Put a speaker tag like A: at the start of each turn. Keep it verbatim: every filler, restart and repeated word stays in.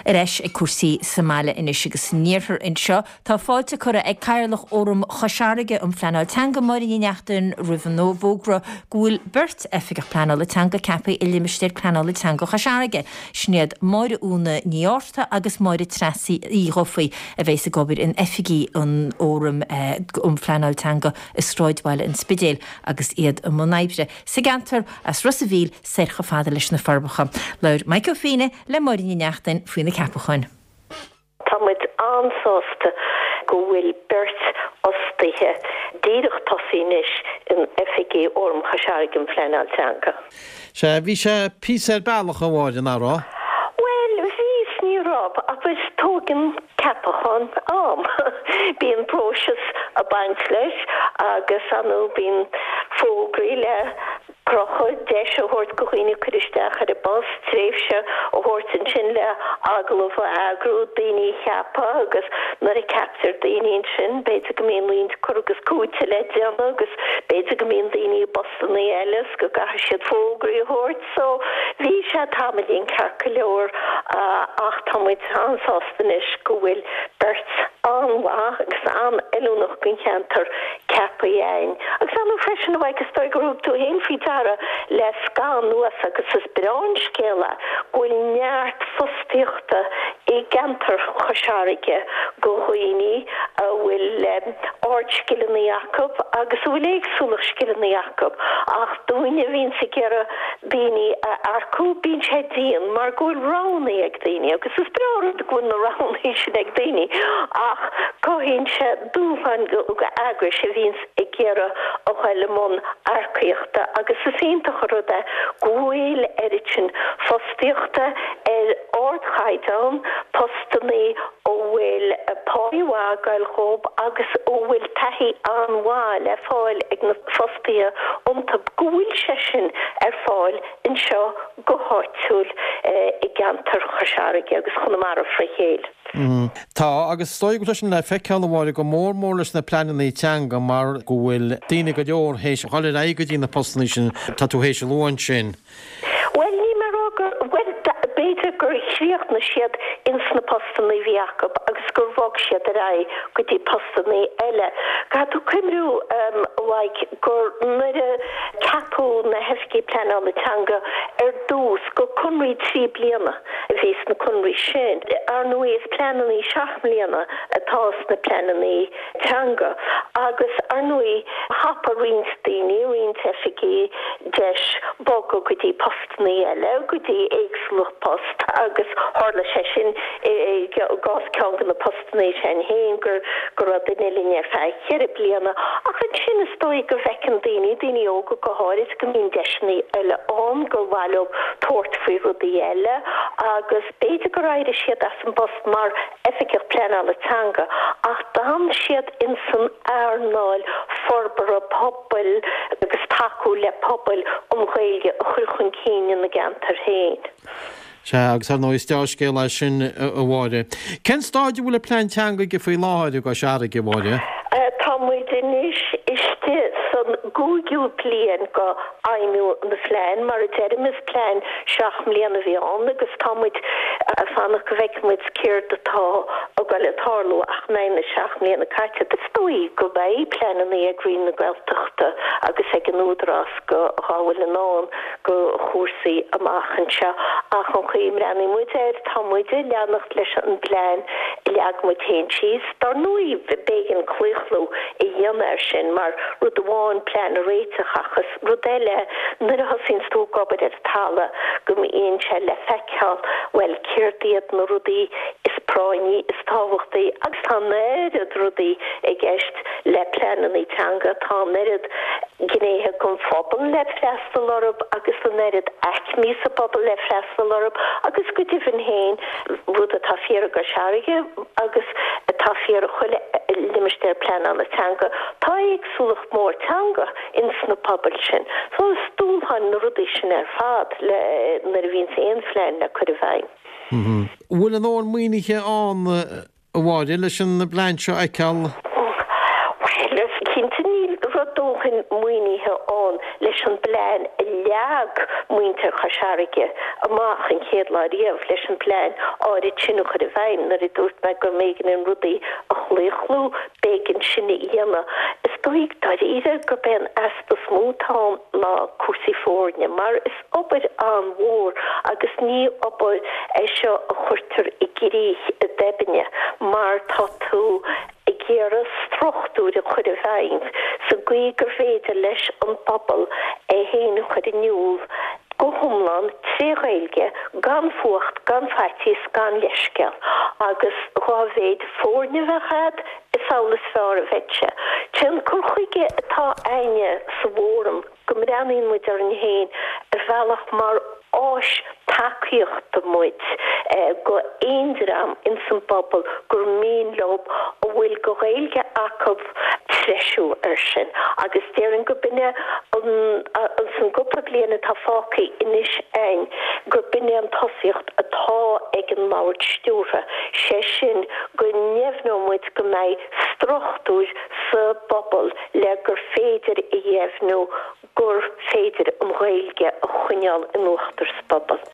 A: Ar ais ag cúrsaí sa mbaile anois agus san iarthar anseo, tá fáilte curtha ag Cathaoirleach Fhóram Chois Fharraige um Phleanáil Teanga, Máire Ní Neachtain, roimh an bhfógra go bhfuil beirt oifigeach pleanála teanga ceaptha i limistéar pleanála teanga Chois Fharraige. Sin iad Máire Úna Ní Fhátharta agus Máire Treasa Uí Dhufaigh a bheas ag obair in oifigí an Fhóraim um Phleanáil Teanga i sráidbhaile an Spidéil agus iad i mbun oibre sa gceantar as Ros a' Mhíl soir chomh fada leis na Forbacha. Labhair Mike Ó Fiaine le Máire Ní Neachtain faoi na ceapacháin.
B: Tá muid an-sásta go bhfuil beirt fhostaithe díreach tosaithe anois in oifigí Fhóram Chois Fharraige um Phleanáil Teanga.
C: Sea, bhí sé píosa ar bealach, a Mháire, nach raibh?
B: Bhuel, bhí is ní raibh, agus tógann ceapachán am. Bíonn próiseas ag baint leis agus ar ndóigh bíonn fógraí le crochadh, deis a thabhairt go dhaoine cur isteach ar an bpost, tréimhse a thabhairt ansin le agallamh a eagrú, daoine a cheapadh agus nuair a ceaptar daoine ansin b'fhéidir go mbíonn roinnt cur agus cúiteamh le déanamh agus b'fhéidir go mbíonn daoine i bpostannaí eile is go gcaithfidh siad fógraí a thabhairt. So bhí sé tamaillín ceart go leor ach tá muid an-sásta anois go bhfuil beirt an-mhaith agus an-fheiliúnach don cheantar ceaptha againn. Agus ar ndóigh freisin, a Mhaidhc, is dóigh gur thug tú fhéin faoi deara le scaitheamh anuas agus is breá an scéal é go bhfuil neart fostaíochta i gceantar Chois Fharraige go dhaoine a bhfuil ardscileanna acu agus a bhfuil éagsúlacht scileanna acu ach dúinne a bhíonns ag iarraidh daoine a earcú bíonn sé dian mar go bhfuil roghanna ag daoine agus is breá an rud go bhfuil na roghanna sin ag daoine ach cothaíonn sé dúshláin go eagrais a bhíonns ag iarraidh a ghoil i mbun earcaíochta agus is iontach an rud é go bhfuil oiread sin fostaíochta ar ardchaighdeán, postannaí a bhfuil páí mhaith ag goil dhób agus a bhfuil taithí an-mhaith le fáil ag na fostaithe iontu, go bhfuil sé sin ar fáil anseo go háitiúil i gceantar Chois Fharraige agus Chonamara fré chéile.
C: Tá, agus is dóigh go bhfuil sé sin le feiceáil, a Mháire, go mór mór leis na pleananna teanga mar go bhfuil daoine go leor théis dhul ar aghaidh go dtí na postanna sin tá tú théis a lua ansin.
B: Bhuel, níl mé ag rá gur, bhuel, b'fhéidir gur chríochnaigh siad ins na postanna a bhí acu agus gur bhog siad ar aghaidh go dtí postanna eile. Caithfidh tú cuimhniú, a Mhaidhc, gur nuair a ceapadh na hoifigigh pleanála teanga ar dtús, gur conraí trí bliana a bhí sna conraí sin. Ar ndóigh, is pleananna seacht mbliana atá sna pleananna teanga agus, ar ndóigh, thapaigh roinnt daoine, roinnt oifigigh deis bogadh go dtí postanna eile, go dtí éagsúlacht post agus tharla sé sin i gcás ceann de na postanna sin féin gur go raibh duine linn ar feadh cheithre bliana ach ansin is dóigh go bhfeiceann daoine, daoine óga go háirid, go mbíonn deiseanna eile ann, gur mhaith leo tabhairt faoi rudaí eile agus b'fhéidir gur éirigh siad as an bpost mar oifigeach pleanála teanga ach d'fhan siad insan earnáil forbartha pobail agus tacú le pobail an Ghaeilge a chur chun cinn ina gceantair féin.
C: Sea, agus ar ndóigh is dea-scéal é sin, a Mháire. Cén staid a bhfuil an plean teanga aige faoi láthair i gCois Fharraige, a Mháire?
B: Tá muid anois istigh san gcúigiú bliain go fheidhmiú an phlean. Mar a deirim, is plean seacht mbliana a bhí ann agus tá muid ag fanacht go bhfeicfidh muid céard atá ag goil ag tarlú ach go mbeidh na seacht mbliana caite. Is dóigh go mbeidh pleananna ag Roinn na Gaeltachta agus ag an Údarás go dhá bhfuil i ndán go chúrsaí amach anseo ach an chaoi a mbreathnaíonn muid air, tá muid ag leanacht leis an bplean a leag muid féin síos. Dar ndóigh, b'éigean claochlú a dhéanamh air sin mar rud amháin plean a réiteach ach is rud eile nuair a thosaíonns tú ag obair ar an talamh go mbíonn sé le feiceáil, bhuel, céard iad na rudaí is práinní, is tábhachtaí agus tá an oiread rudaí i gceist le pleananna teanga, tá an oiread gnéithe den phobal le freastal orthu agus an oiread aicmí sa bpobal le freastal orthu agus go deimhin féin, rud atá fíor i gCois Fharraige agus atá fíor i chuile limistéar pleanála teanga, tá éagsúlacht mhór teanga ins na pobail sin. So is dúshláin na rudaí sin ar fad le nuair a bhíonns aon phlean le cur i bhfeidhm.
C: An bhfuil a ndóthain maoinithe ann a Mháire, leis an bplean seo a fheiceáil?
B: Bhuel, cinnte níl a dóthain maoinithe ann leis an bplean a leag muintir Chois Fharraige amach an chéad lá riamh leis an bplean áirid sin a chur i bhfeidhm nuair a dúirt mé go mb'éigean an rudaí a chlaochlú, b'éigean sin a dhéanamh. Is dóigh dáiríre gurb é an easpa is mó atá ann ná cúrsaí foirne mar is obair an-mhór agus ní obair é seo a chuirtear i gcrích i dtoibinne mar tá tú ag iarraidh struchtúir a chur i bhfeidhm sa gcaoi gur féidir leis an bpobal é féin a chur in iúl go hiomlán tré Ghaeilge, gan fuacht, gan faitíos, gan leithscéal. Agus dhá mhéid foirne a bheadh a'd, is amhlaidh is fearr a bheidh sé. Sé an cur chuige atá a'inne sa bhFóram go mbreathnaíonn muid orainn féin ar bhealach mar áis tacaíochta muid go aon dream ins an bpobal gur mian leo a bhfuil go Ghaeilge acu treisiú ar sin agus déarfainn go b'in é an san gcúpla bliain atá fágtha anois a'inn gur b'in é an tosaíocht atá ag an mbord stiúrtha, sé sin go ndeimhneoidh muid go mbeidh struchtúir sa bpobal le gur féidir a dheimhniú gur féidir an Ghaeilge a choinneáil in uachtar sa bpobal.